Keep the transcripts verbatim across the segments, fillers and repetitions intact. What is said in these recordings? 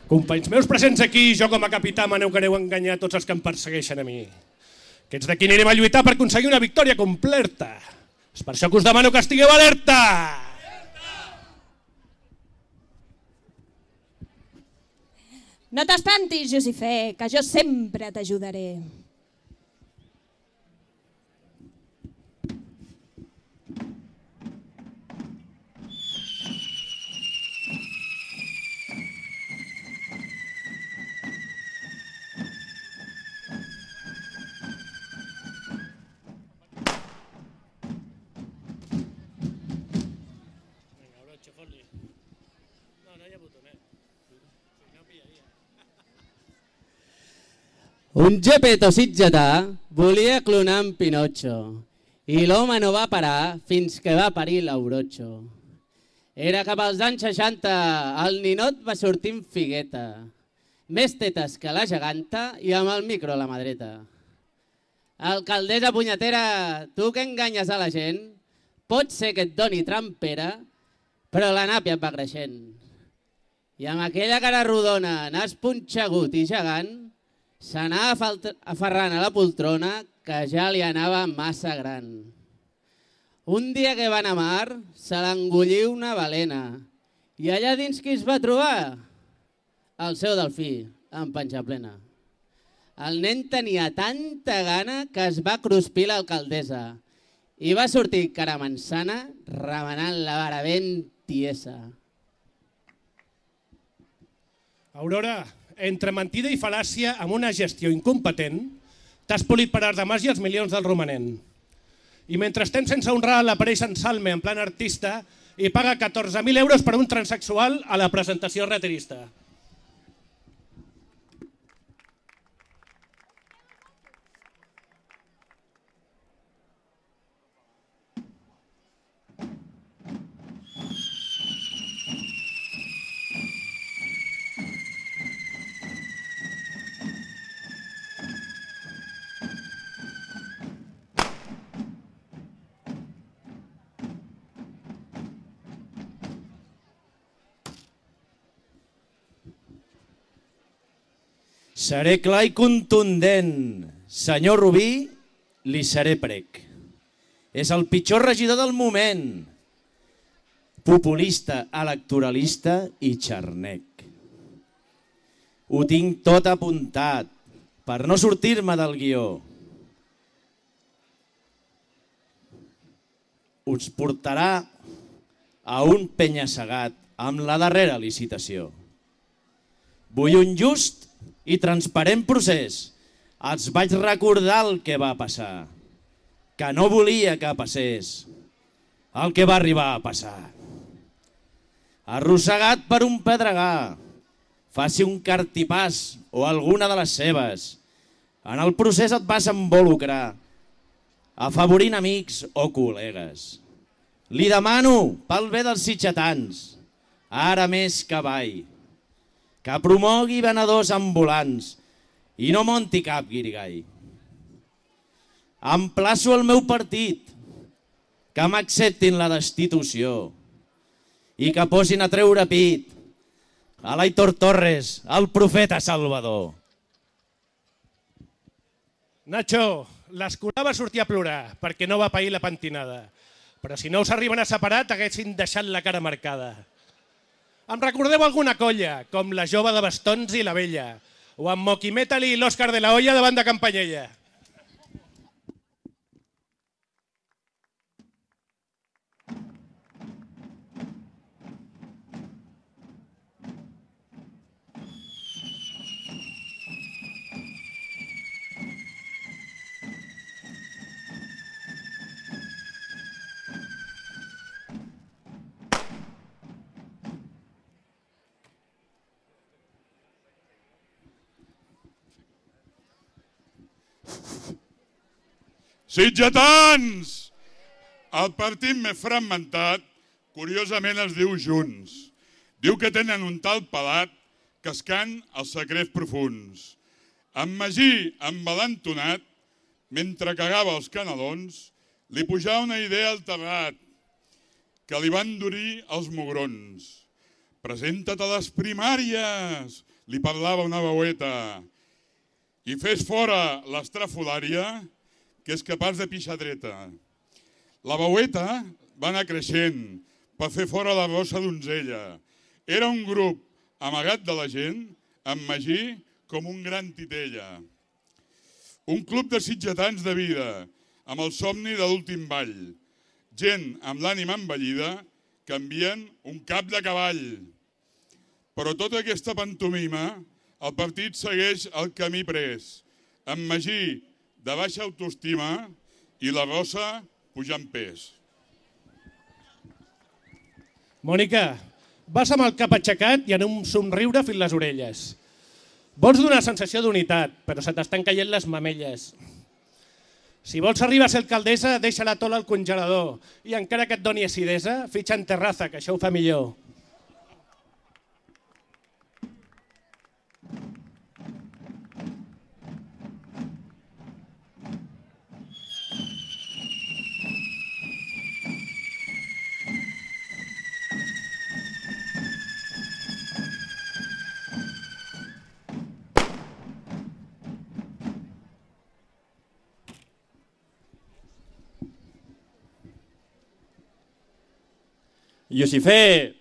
Companys meus presents aquí, jo com a capità m'aneu que aneu a enganyar tots els que em persegueixen a mi. Aquests d'aquí anirem a lluitar per aconseguir una victòria completa. És per això que us demano que estigueu alerta! No t'espantis, Josifé, que jo sempre t'ajudaré. Un Gepetto sitgetà volia clonar en Pinotxo i l'home no va parar fins que va parir l'Aurocho. Era cap als anys seixanta, el ninot va sortir en figueta, més tetes que la geganta i amb el micro a la mà dreta. Alcaldessa punyetera, tu que enganyes a la gent, pot ser que et doni trampera, però la nàpia et va creixent. I amb aquella cara rodona, nas punxegut i gegant, s'anava aferrant a la poltrona que ja li anava massa gran. Un dia que van a mar, se l'engollí una balena i allà dins qui es va trobar? El seu delfí, en panxa plena. El nen tenia tanta gana que es va cruspir l'alcaldessa i va sortir caramansana remenant la vara ben tiesa. Aurora, entre mentida i fal·làcia, amb una gestió incompetent, t'has polit per art de màgia els milions del romanent. I mentre estem sense honrar l'aparell en Salme en plan artista i paga catorze mil euros per un transexual a la presentació retirista. Seré clar i contundent. Senyor Rubí, li seré prec. És el pitjor regidor del moment. Populista, electoralista i xarnec. Ho tinc tot apuntat per no sortir-me del guió. Us portarà a un penya-segat amb la darrera licitació. Vull un just i transparent procés. Els vaig recordar el que va passar, que no volia que passés, el que va arribar a passar. Arrossegat per un pedregar, faci un cartipàs o alguna de les seves. En el procés et vas involucrar, afavorint amics o col·legues. Li demano, pel bé dels sitgetans, ara més que mai, que promogui venedors ambulants i no monti cap guirigall. Emplaço el meu partit que m'acceptin la destitució i que posin a treure pit a l'Aitor Torres, el profeta salvador. Nacho, l'escolar va sortir a plorar perquè no va pair la pentinada, però si no us arriben a separar t'haguessin deixat la cara marcada. Em recordeu alguna colla, com la jove de bastons i la vella, o amb Moqui Metal i l'Òscar de la Hoya davant de Campanyella. Sitgetans! El partit més fragmentat, curiosament es diu Junts. Diu que tenen un tal pelat que es can els secrets profuns. En Magí, envalentonat, mentre cagava els canelons, li pujava una idea al terrat, que li van endurir els mugrons. Presenta't a les primàries, li parlava una veueta i fes fora l'estrafolària que és capaç de pixar dreta. La veueta va anar creixent per fer fora la rossa donzella. Era un grup amagat de la gent, amb Magí com un gran titella. Un club de sitgetans de vida, amb el somni de l'últim ball. Gent amb l'ànima envellida que envien un cap de cavall. Però tota aquesta pantomima, el partit segueix el camí pres, amb Magí de baixa autoestima i la rossa pujant pes. Mònica, vas amb el cap aixecat i en un somriure fins les orelles. Vols donar sensació d'unitat, però se t'estan caient les mamelles. Si vols arribar a ser alcaldessa, deixa la tola al congelador i encara que et doni acidesa, fitxa en terraza, que això ho fa millor. Iosifé,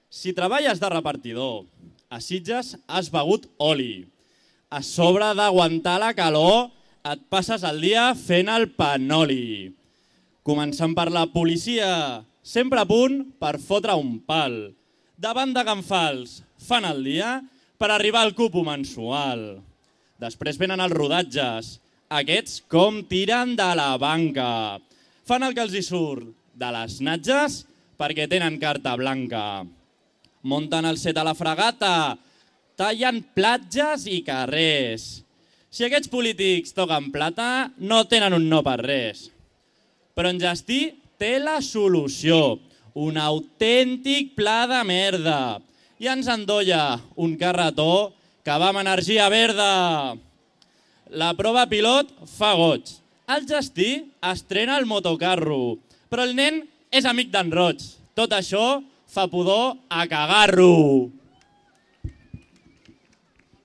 si treballes de repartidor, a Sitges has begut oli. A sobre d'aguantar la calor, et passes el dia fent el panoli. Començant per la policia, sempre a punt per fotre un pal. Davant de Canfals, fan el dia per arribar al cupo mensual. Després venen els rodatges, aquests com tiren de la banca. Fan el que els hi surt de les natges perquè tenen carta blanca. Munten el set a la fregata, tallen platges i carrers. Si aquests polítics toquen plata, no tenen un no per res. Però en Gestí té la solució, un autèntic pla de merda. I ens endolla un carretó que va amb energia verda. La prova pilot fa goig. El Gestí estrena el motocarro, però el nen és amic d'en Roig. Tot això fa pudor a cagar-lo.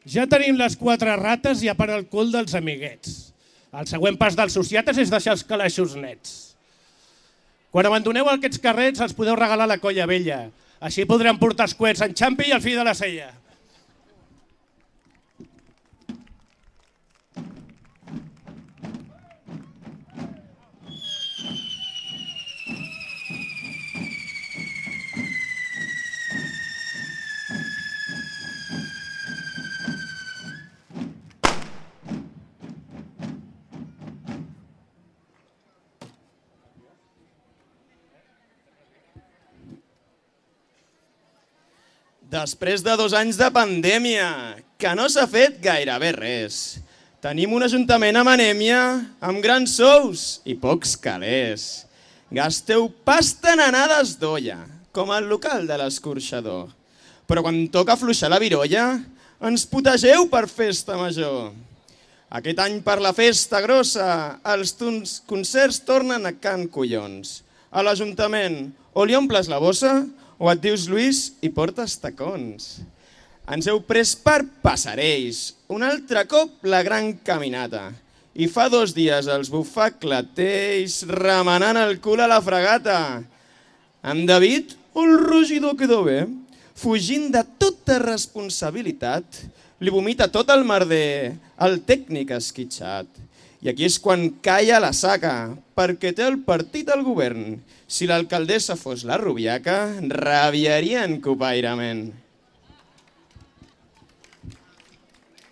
Ja tenim les quatre rates i a part el cul dels amiguets. El següent pas dels sociates és deixar els calaixos nets. Quan abandoneu aquests carrets els podeu regalar a la colla vella. Així podrem portar els coets en xampi i el fill de la cella. Després de dos anys de pandèmia, que no s'ha fet gairebé res. Tenim un ajuntament amb anèmia, amb grans sous i pocs calés. Gasteu pasta en anades d'olla, com al local de l'escorxador. Però quan toca afluixar la virolla, ens putegeu per festa major. Aquest any per la festa grossa, els concerts tornen a Can Collons. A l'Ajuntament, o li omples la bossa, o et dius Lluís i portes tacons. Ens heu pres per passarells, un altre cop la gran caminata. I fa dos dies els bufaclatells remenant el cul a la fregata. En David, el rugidor quedó bé, fugint de tota responsabilitat, li vomita tot el merder, el tècnic esquitxat. I aquí és quan calla la saca, perquè té el partit al govern. Si l'alcaldessa fos la Rubiaca, rabiarien copairament.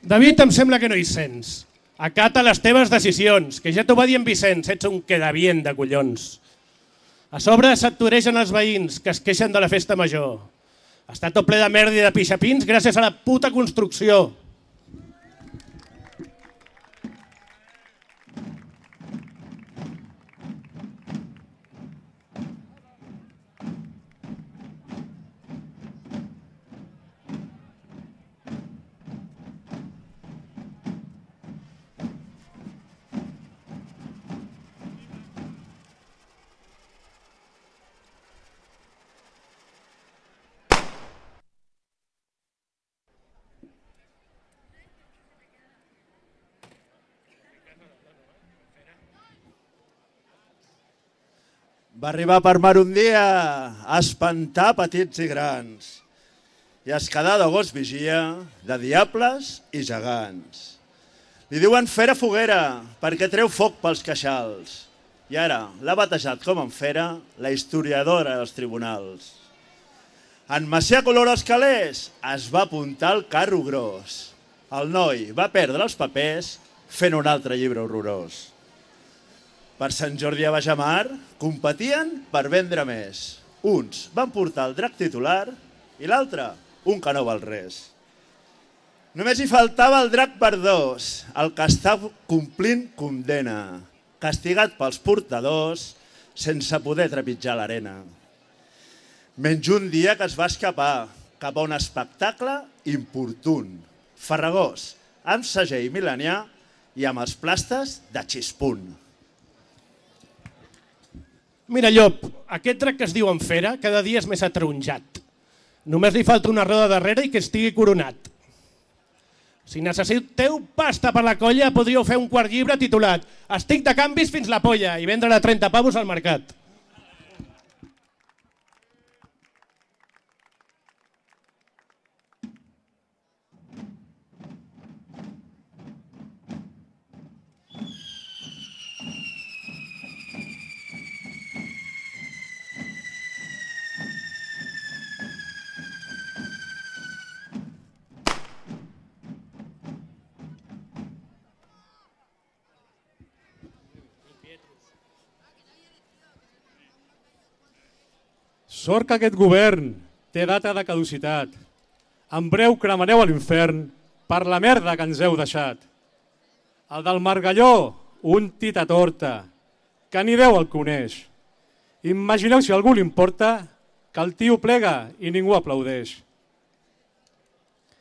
David, em sembla que no hi sents. Acata les teves decisions, que ja t'ho va dir en Vicenç, ets un quedavient de collons. A sobre s'acturegen els veïns, que es queixen de la festa major. Està tot ple de merda i de pixapins gràcies a la puta construcció. Va arribar per mar un dia a espantar petits i grans i es quedà de gos vigia de diables i gegants. Li diuen Fera Foguera perquè treu foc pels queixals i ara l'ha batejat com en Fera la historiadora dels tribunals. En Macià Color als calés es va apuntar al carro gros. El noi va perdre els papers fent un altre llibre horrorós. Per Sant Jordi a Bajamar competien per vendre més. Uns van portar el drac titular i l'altre un que no val res. Només hi faltava el drac per dos, el que està complint condena, castigat pels portadors sense poder trepitjar l'arena. Menys un dia que es va escapar cap a un espectacle importun, farragós, amb segell milenià i amb els plastes de xispunt. Mira, Llop, aquest drac que es diu en Fera cada dia és més ataronjat. Només li falta una roda darrere i que estigui coronat. Si necessiteu pasta per la colla, podríeu fer un quart llibre titulat Estic de canvis fins la polla i vendre a trenta pavos al mercat. Sort que aquest govern té data de caducitat. En breu cremareu a l'infern per la merda que ens heu deixat. El del Margalló, un tita torta, que ni Déu el coneix. Imagineu si a algú li importa que el tio plega i ningú aplaudeix.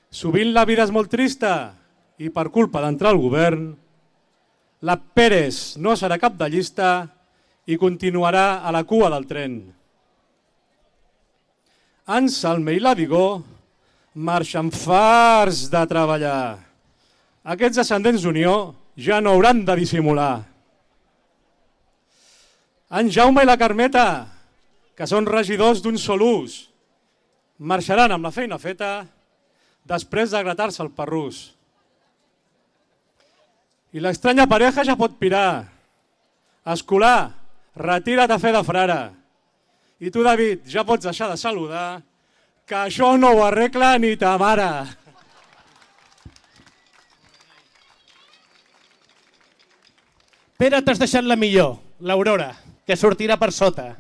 Sovint la vida és molt trista i per culpa d'entrar al govern, la Pérez no serà cap de llista i continuarà a la cua del tren. En Salme i la Vigó marxen farts de treballar. Aquests ascendents d'Unió ja no hauran de dissimular. En Jaume i la Carmeta, que són regidors d'un sol ús, marxaran amb la feina feta després de gratar-se el parrús. I l'estranya pareja ja pot pirar. Escolà, retira't a fer de frare. I tu, David, ja pots deixar de saludar, que això no ho arregla ni ta mare. Pere, t'has deixat la millor, l'Aurora, que sortirà per sota.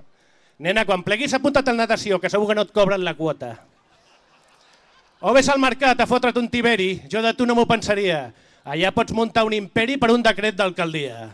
Nena, quan pleguis apunta't al natació, que segur que no et cobren la quota. O vés al mercat a fotre't un tiberi, jo de tu no m'ho pensaria. Allà pots muntar un imperi per un decret d'alcaldia.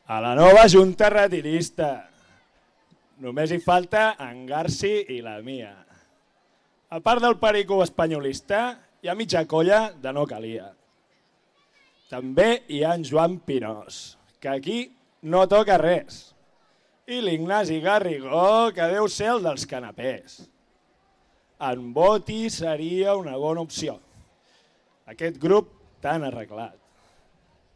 A la nova junta retirista. Només hi falta en Garci i la Mia. A part del perico espanyolista, hi ha mitja colla de no calia. També hi ha en Joan Pinós, que aquí no toca res. I l'Ignasi Garrigó, que deu ser el dels canapés. En Boti seria una bona opció. Aquest grup tan arreglat.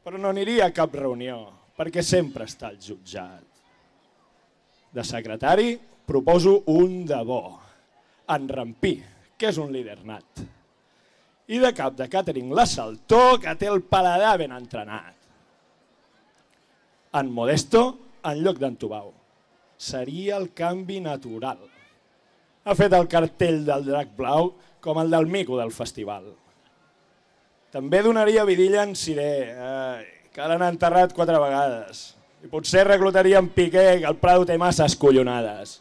Però no aniria a cap reunió, perquè sempre està al jutjat. De secretari proposo un de bo, en Rampí, que és un líder nat. I de cap de càtering la Saltó, que té el paladar ben entrenat. En Modesto, en lloc d'en Tubau, seria el canvi natural. Ha fet el cartell del drac blau com el del mico del festival. També donaria vidilla en Siré, eh, que l'han enterrat quatre vegades. I potser reclutaria en Piqué, que el Prado té masses collonades.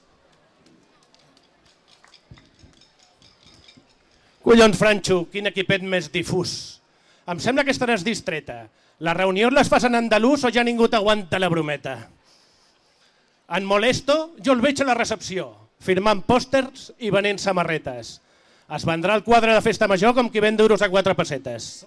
Collons, Franxo, quin equipet més difús. Em sembla que estaràs distreta. Les reunions les fas en andalús o ja ningú t'aguanta la brometa? En Molesto jo el veig a la recepció. firmant pòsters i venent samarretes. Es vendrà el quadre de festa major com qui ven duros a quatre pessetes.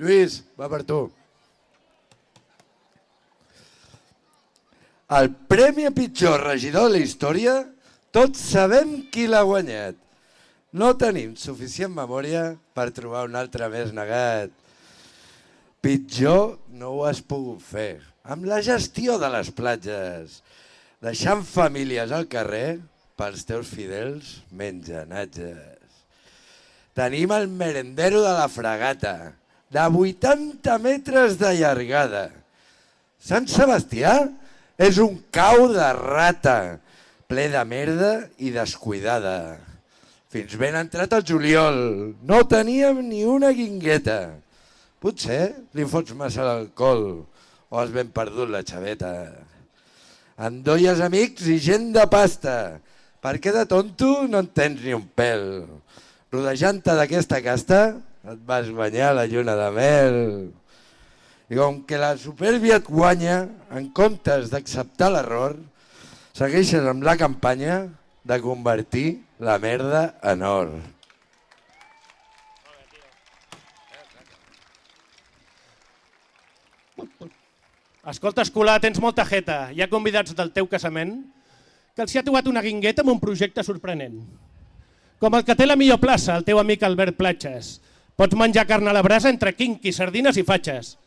Lluís, va per tu. El premi a pitjor regidor de la història, tots sabem qui l'ha guanyat. No tenim suficient memòria per trobar un altre més negat. Pitjor no ho has pogut fer amb la gestió de les platges, deixant famílies al carrer pels teus fidels menjanatges. Tenim el merendero de la Fragata, de vuitanta metres de llargada. Sant Sebastià és un cau de rata, ple de merda i descuidada. Fins ben entrat el juliol no teníem ni una guingueta. Potser li fots massa l'alcohol o has ben perdut la xaveta. Endolles amics i gent de pasta, perquè de tonto no en tens ni un pèl. Rodejant-te d'aquesta casta et vas guanyar la lluna de mel. I com que la supèrbia et guanya, en comptes d'acceptar l'error, segueixes amb la campanya de convertir la merda en or. Escolta, Escolà, tens molta jeta. Hi ha convidats del teu casament que els hi ha trobat una guingueta amb un projecte sorprenent. Com el que té la millor plaça, el teu amic Albert Platges. Pots menjar carn a la brasa entre quinqui, sardines i fatxes.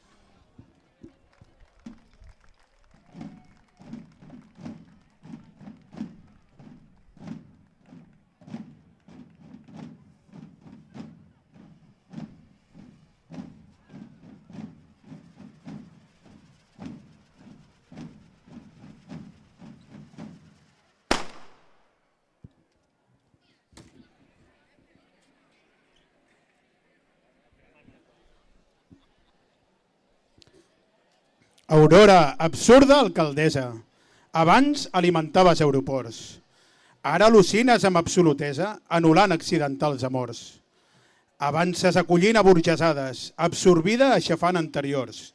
Aurora, absurda alcaldessa. Abans alimentaves aeroports. Ara al·lucines amb absolutesa, anul·lant accidentals amors. Avances acollint aburgesades, absorbida aixafant anteriors.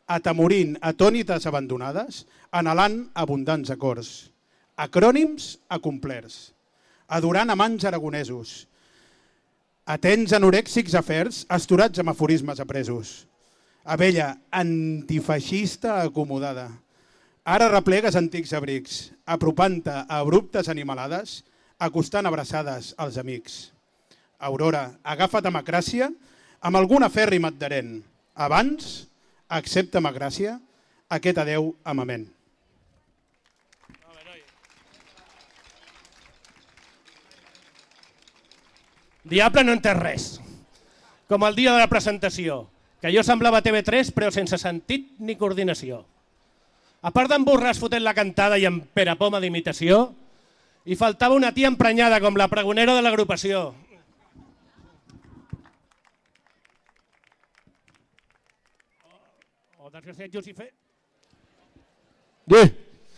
Atemorint atònites abandonades, anhelant abundants acords. Acrònims acomplerts. Adorant amants aragonesos. Atents anorèxics afers, asturats amb aforismes apresos. Abella, antifeixista acomodada. Ara replegues antics abrics, apropant-te a abruptes animalades, acostant abraçades als amics. Aurora, agafa't amb acràcia, amb algun afèrrim adherent. Abans, accepta'm a gràcia, aquest adeu amament. Diable no entès res. Com el dia de la presentació, que jo semblava T V tres però sense sentit ni coordinació. A part d'emborràs fotent la cantada i amb perapoma d'imitació, hi faltava una tia emprenyada com la pregonera de l'agrupació. O desgraciat Jusifer.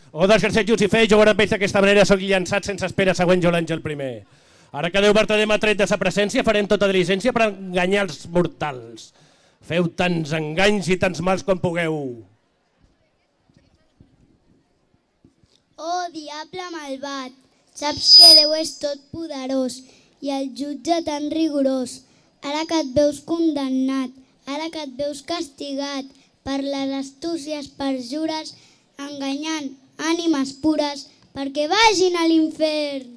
O desgraciat Jusifer, jo ara veig d'aquesta manera soc llançat sense espera següent jo l'Àngel primer. Ara que Déu vertader m'ha tret de sa presència farem tota diligència per enganyar els mortals. Feu tants enganys i tants mals com pugueu. Oh, diable malvat, saps que Déu és tot poderós i el jutge tan rigorós. Ara que et veus condemnat, ara que et veus castigat per les astúcies perjures, enganyant ànimes pures perquè vagin a l'infern.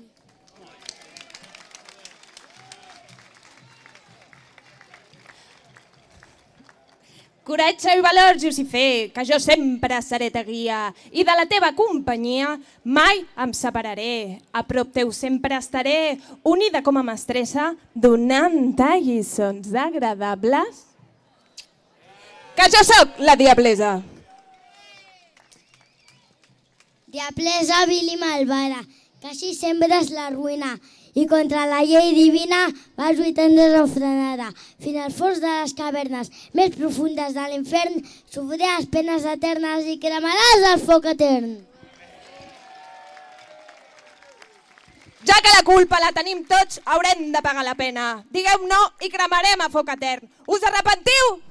Coratge i valor, Jusifer, que jo sempre seré ta guia i de la teva companyia mai em separaré. A prop teu sempre estaré, unida com a mestressa, donant-te lliçons agradables. Que jo sóc la diablesa. Diablesa vil i malvada, que així sembres la ruïna i contra la llei divina vas lluitant desenfrenada. Fins al fons de les cavernes més profundes de l'infern sofriràs penes eternes i cremaràs el foc etern. Ja que la culpa la tenim tots, haurem de pagar la pena. Digueu no i cremarem a foc etern. Us arrepentiu?